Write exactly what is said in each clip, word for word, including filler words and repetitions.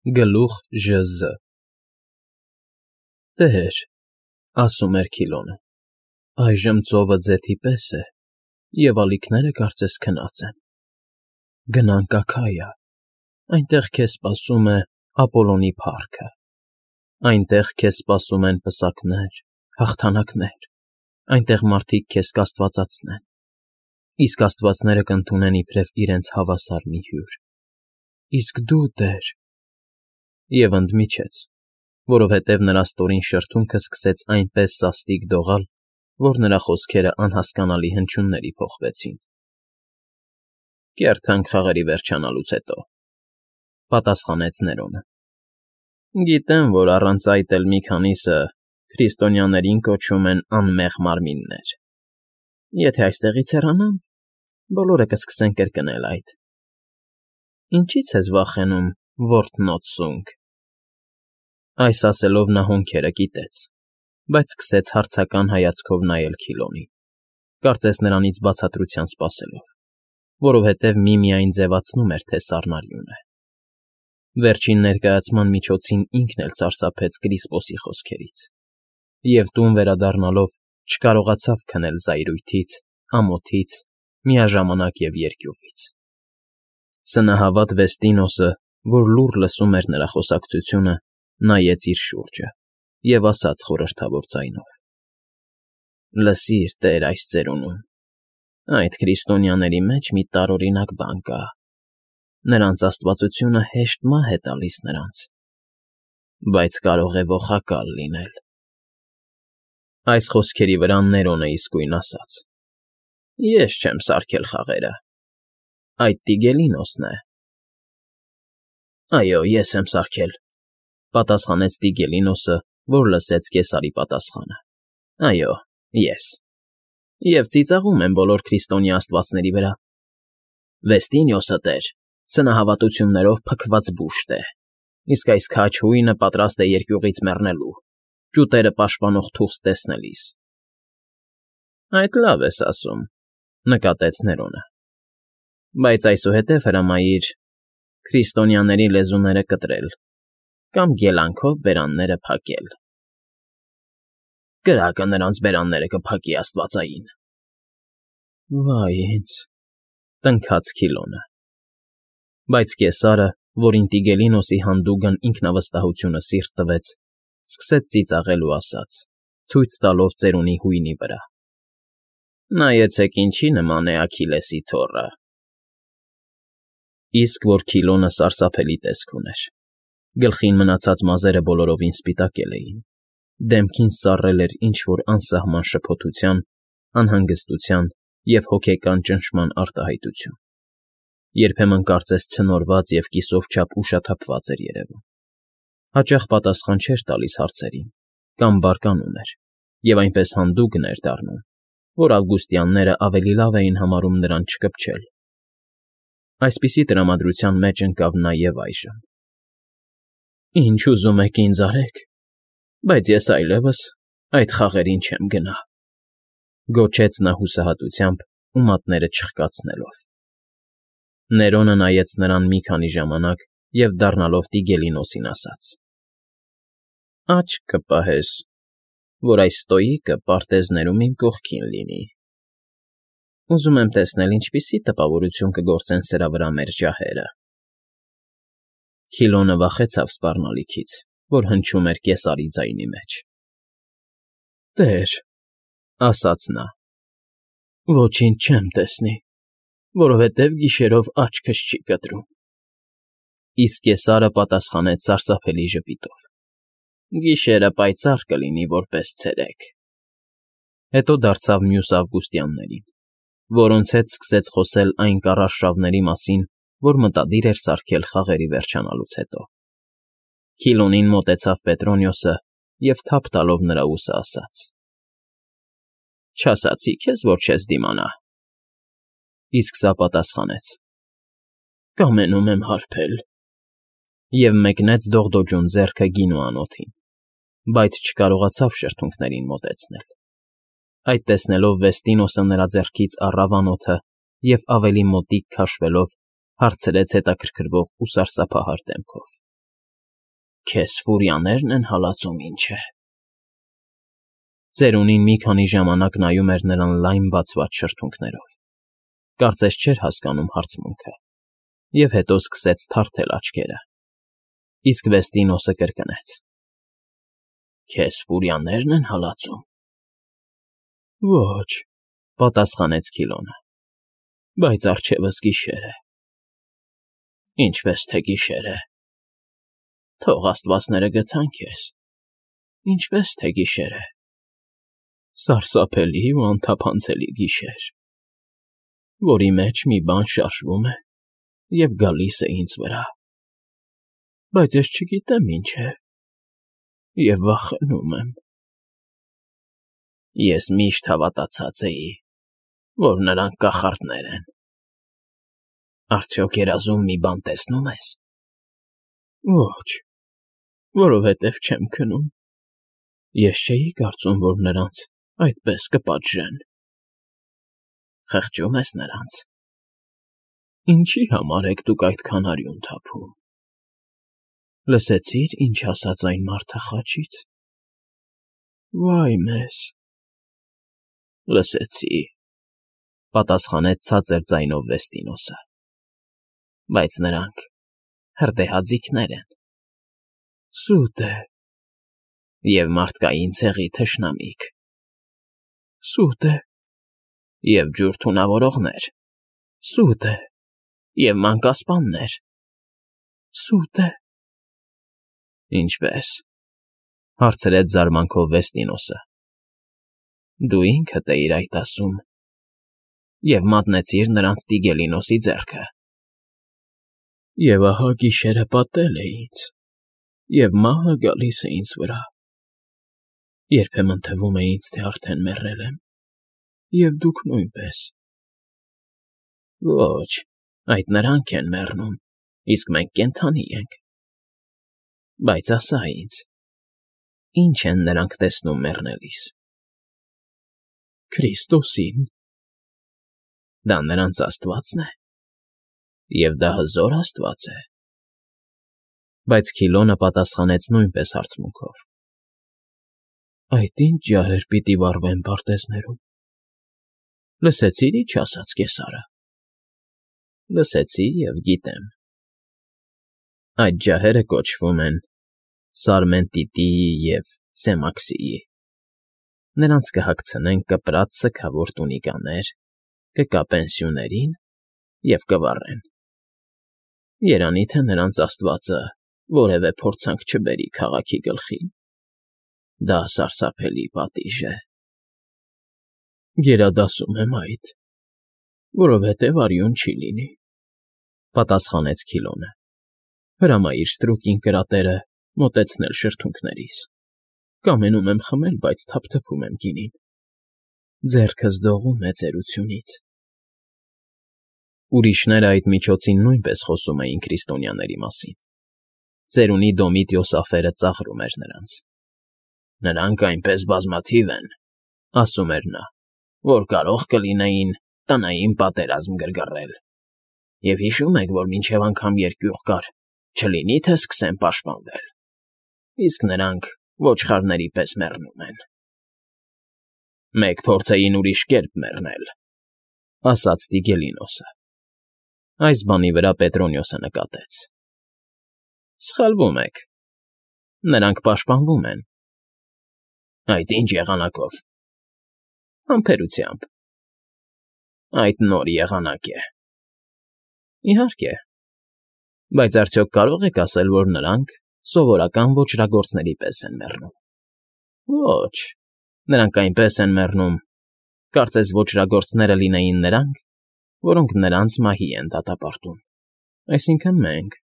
Գլուխ Ժ Զ Տեր, ասում էր Քիլոնը, այժմ ծովը ձեթի պես է, և ալիքները կարծես քնած են, գնանք Աքայա, այնտեղ քեզ սպասում է Ապոլոնի փառքը, այնտեղ քեզ սպասում են պսակներ, հաղթանակներ, այնտեղ մարդիկ քեզ կաստվածացնեն, իսկ աստվածները կընդունեն իբրև իրենց հավասար մի հյուր, իսկ դու, Տեր… Եվ ընդմիջեց, որովհետև նրա ստորին շրթունքը սկսեց այնպես սաստիկ դողալ, որ նրա խոսքերը անհասկանալի հնչյունների փոխվեցին։ ֊ Կերթանք խաղերի վերջանալուց հետո,֊ պատասխանեց Ներոնը։ ֊ Գիտեմ, որ առանց այդ էլ մի քանիսը քրիստոնյաներին կոչում են անմեղ մարմիններ. եթե այստեղից հեռանամ, բոլորը կսկսեն կրկնել այդ. ինչի՞ց ես վախենում, որթնոտ սունկ… Այս ասելով նա հոնքերը կիտեց, բայց սկսեց հարցական հայացքով նայել Քիլոնին, կարծես նրանից բացատրության սպասելով, որովհետև միմիայն ձևացնում էր, թե սառնարյուն է։ Վերջին ներկայացման միջոցին ինքն էլ սարսափեց Կրիսպոսի խոսքերից, և տուն վերադառնալով չկարողացավ քնել զայրույթից, ամոթից, միաժամանակ և երկյուղից։ Սնահավատ Վեստինոսը, որ լուռ լսում էր նրա խոսակցությունը, նայեց իր շուրջը և ասաց խորհրդավոր ձայնով. «Լսիր, Տեր, այս ծերունուն, այդ քրիստոնյաների մեջ մի տարօրինակ բան կա. նրանց աստվածությունը հեշտ մահ է տալիս նրանց, բայց կարող է ողակալ լինել»։ Այս խոսքերի վրա Ներոնը իսկույն ասաց. «Ես չեմ սարքել խաղերը, այդ Տիգելինոսն է»։ ֊ Այո, ես եմ սարքել,֊ պատասխանեց Տիգելինոսը, որ լսեց կեսարի պատասխանը,֊ այո, ես, և ծիծաղում եմ բոլոր քրիստոնյա աստվածների վրա։ Վեստինիոսը, Տեր, սնահավատություններով փքված բուշտ է, իսկ այս քաջ հույնը պատրաստ է երկյուղից մեռնելու, ճուտերը պաշտպանող թուղթ տեսնելիս։ ֊ Այդ լավ ես ասում,֊ նկատեց Ներոնը,֊ բայց այսուհետև հրամայիր քրիստոնյաների լեզուները կտրել կամ գելանքով բերանները փակել։ ֊ Կրակը նրանց բերանները կփակի, աստվածային… ֊ Վայ ինձ,֊ տնքաց Քիլոնը։ Բայց կեսարը, որին Տիգելինոսի հանդուգն ինքնավստահությունը սիրտ տվեց, սկսեց ծիծաղել ու ասաց, ցույց տալով ծերունի հույնի վրա. «Նայեցեք ինչի նման է Աքիլեսի թոռը»։ Իսկ որ Քիլոնը սարսափելի տեսք ուներ, գլխին մնացած մազերը բոլորովին սպիտակել էին, դեմքին սառել էր ինչ֊որ անսահման շփոթության, անհանգստության և հոգեկան ճնշման արտահայտություն, երբեմն կարծես ցնորված և կիսով չափ ուշաթափված էր երևում, հաճախ պատասխան չէր տալիս հարցերին կամ բարկանում էր և այնպես հանդուգն էր դառնում, որ ավգուստյանները ավելի լավ էին համարում նրան չկպչել։ Այսպիսի տրամադրության մեջ ընկավ նա և այժմ։ ֊ Ինչ ուզում եք ինձ արեք, բայց ես այլևս այդ խաղերին չեմ գնա,֊ գոչեց նա հուսահատությամբ ու մատները չխկացնելով։ Ներոնը նայեց նրան մի քանի ժամանակ և դառնալով Տիգելինոսին ասաց. ֊ Աչք կպահես, որ այս ստոիկը պարտեզներում իմ կողքին լինի։ Ուզում եմ տեսնել ինչպիսի տպավորություն կգործեն սրա վրա մեր ջահերը… Քիլոնը վախեցավ սպառնալիքից, որ հնչում էր կեսարի ձայնի մեջ։ ֊ Տեր,֊ ասաց նա,֊ ոչինչ չեմ տեսնի, որովհետև գիշերով աչքս չի կտրում։ Իսկ կեսարը պատասխանեց սարսափելի ժպիտով. ֊ Գիշերը պայծառ կլինի որպես ցերեկ… Հետո դարձավ մյուս ավգուստյաններին, որոնց հետ սկսեց խոսել այն կառարշավների մասին, որ մտադիր էր սարքել խաղերի վերջանալուց հետո։ Քիլոնին մոտեցավ Պետրոնիոսը և թափ տալով նրա ուսը ասաց. ֊ Չասացի՞ քեզ, որ չես դիմանա։ Իսկ սա պատասխանեց. ֊ Կամենում եմ հարբել… և մեկնեց դողդոջուն ձեռքը գինու անոթին, բայց չկարողացավ շրթունքներին մոտեցնել։ Այդ տեսնելով Վեստինոսը նրա ձեռքից առավ անոթը և ավելի մոտիկ քաշվելով հարցրեց հետաքրքրվող ու սարսափահար դեմքով. Քեզ ֆուրիաներն են հալածում, ինչ է։ Ծերունին մի քանի ժամանակ նայում էր նրան լայն բացված շրթունքներով, կարծես չէր հասկանում հարցմունքը, և հետո սկսեց թարթել աչքերը, իսկ Վեստինոսը կրկնեց. Քեզ ֆուրիաներն են հալածում։ Ոչ, պատասխանեց Քիլոնը, բայց առջևս գիշեր է։ Ինչպես թե գիշեր է։ Թող աստվածները գթան քեզ, ինչպես թե գիշեր է։ Սարսափելի ու անթափանցելի գիշեր, որի մեջ մի բան շարժվում է և գալիս է ինձ վրա, բայց ես չգիտեմ ինչ է, և վախենում եմ։ Ես միշտ հավատացած էի, որ նրանք կախարդներ են։ Արդյոք երազում մի բան տեսնո՞ւմ ես։ Ոչ, որովհետև չեմ քնում։ Ես չէի կարծում, որ նրանց այդպես կպատժեն։ Խղճում ես նրանց։ Ինչի համար եք դուք այդքան արյուն թափում։ Լսեցի՞ր, ինչ ասաց այն մարդը խաչից։ Վայ մեզ։ Լսեցի, պատասխանեց ցածր ձայնով Վեստինոսը, բայց նրանք հրդեհաձիգներ են։ Սուտ է։ Եվ մարդկային ցեղի թշնամիք։ Սուտ է։ Եվ ջուր թունավորողներ։ Սուտ է։ Եվ մանկասպաններ։ Սուտ է։ Ինչպե՞ս, հարցրեց զարմանքով Վեստինոսը։ Դու ինքդ էիր այդ ասում և մատնեցիր նրանց Տիգելինոսի ձեռքը։ Եվ ահա գիշերը պատել է ինձ, և մահը գալիս է ինձ վրա։ Երբեմն թվում է ինձ, թե արդեն մեռել եմ, և դուք նույնպես։ Ոչ, այդ նրանք են մեռնում, իսկ մենք կենդանի ենք։ Բայց ասա ինձ, ի՞նչ են նրանք տեսնում մեռնելիս։ Քրիստոսին։ Դա նրանց աստվածն է, և դա հզոր աստված է։ Բայց Քիլոնը պատասխանեց նույնպես հարցմունքով. Այդ ի՞նչ ջահեր պիտի վառվեն պարտեզներում։ Լսեցի՞ր, ինչ ասաց կեսարը։ Լսեցի և գիտեմ։ Այդ ջահերը կոչվում են Սարմենտիտիի և Սեմաքսիի։ Նրանց կհագցնեն կպրած սգավոր տունիկաներ, կկապեն սյուներին և կվառեն։ Երանի թե նրանց աստվածը որևէ փորձանք չբերի քաղաքի գլխին։ Դա սարսափելի պատիժ է։ Գերադասում եմ այդ, որովհետև արյուն չի լինի, պատասխանեց Քիլոնը։ Հրամայիր ստրուկին կրատերը մոտեցնել շրթունքներիս։ Կամենում եմ խմել, բայց թափթփում եմ գինին։ Ձեռքս դողում է ծերությունից։ Ուրիշները այդ միջոցին նույնպես խոսում էին քրիստոնյաների մասին։ Ծերունի Դոմիտիոս ափերը ծաղրում էր նրանց։ Նրանք այնպես բազմաթիվ են, ասում էր նա, որ կարող կլինեին տնային պատերազմ գրգռել։ Եվ հիշում եք, որ մինչև անգամ երկյուղ կար, չլինի թե սկսեն պաշտպանվել։ Իսկ նրանք ոչխարների պես մեռնում են։ Մեկ փորձեին ուրիշ կերպ մեռնել, ասաց Տիգելինոսը։ Այս բանի վրա Պետրոնիոսը նկատեց. Սխալվում եք։ Նրանք պաշտպանվում են։ Այդ ինչ եղանակով։ Համբերությամբ։ Այդ նոր եղանակ է։ Իհարկե։ Բայց արդյոք կարող եք ասել, որ նրանք սովորական ոճրագործների պես են մեռնում։ Ոչ, նրանք այնպես են մեռնում, կարծես ոճրագործները լինեին նրանք, որոնք նրանց մահի են դատապարտում, այսինքն մենք,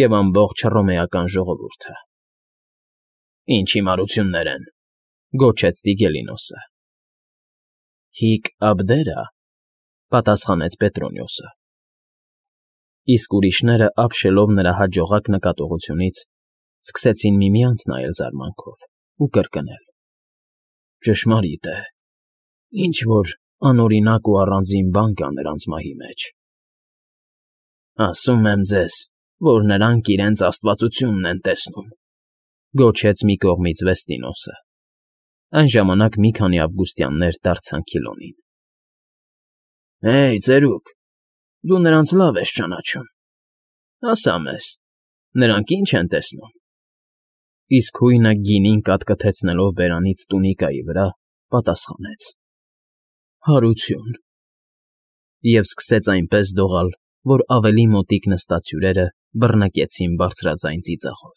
և ամբողջ հռոմեական ժողովուրդը։ Ինչ հիմարություններ են, գոչեց Տիգելինոսը։ Հիկ Աբդերա, պատասխանեց Պետրոնիոսը։ Իսկ ուրիշները, ապշելով նրա հաջողակ նկատողությունից, սկսեցին միմյանց նայել զարմանքով ու կրկնել. Ճշմարիտ է, ինչ֊որ անօրինակ ու առանձին բան կա նրանց մահի մեջ։ Ասում եմ ձեզ, որ նրանք իրենց աստվածությունն են տեսնում,֊ գոչեց մի կողմից Վեստինոսը. այն ժամանակ մի քանի ավգուստյաններ դարձան Քիլոնին։ ֊ Հեյ, ծերուկ, դու նրանց լավ ես ճանաչում, ասա մեզ, նրանք ի՞նչ են տեսնում… Իսկ հույնը գինին կատկթեցնելով բերանից տունիկայի վրա, պատասխանեց. ֊ Հարություն… Եվ սկսեց այնպես դողալ, որ ավելի մոտիկ նստած հյուրերը բռնկեցին բարձրաձայն ծիծաղով։